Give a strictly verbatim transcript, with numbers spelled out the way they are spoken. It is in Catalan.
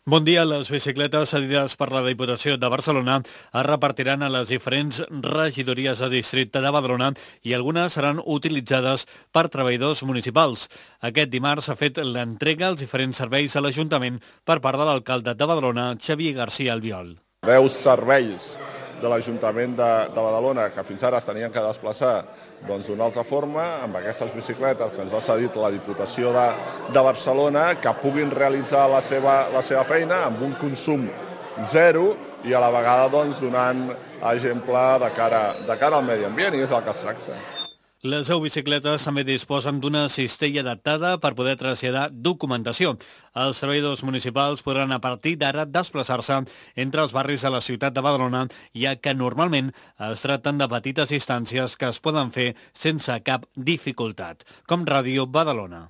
Bon dia. Les bicicletes cedides per la Diputació de Barcelona es repartiran a les diferents regidories de districte de Badalona i algunes seran utilitzades per treballadors municipals. Aquest dimarts s'ha fet l'entrega als diferents serveis a l'Ajuntament per part de l'alcalde de Badalona, Xavier García Albiol. Deu serveis de l'Ajuntament de, de Badalona, que fins ara es tenien que desplaçar doncs, d'una altra forma, amb aquestes bicicletes que ens ha cedit la Diputació de, de Barcelona, que puguin realitzar la seva, la seva feina amb un consum zero i a la vegada doncs, donant exemple de cara, de cara al medi ambient, i és el que es tracta. Les deu bicicletes també disposen d'una cistella adaptada per poder traslladar documentació. Els treballadors municipals podran a partir d'ara desplaçar-se entre els barris de la ciutat de Badalona, ja que normalment es tracten de petites distàncies que es poden fer sense cap dificultat. Com Ràdio Badalona.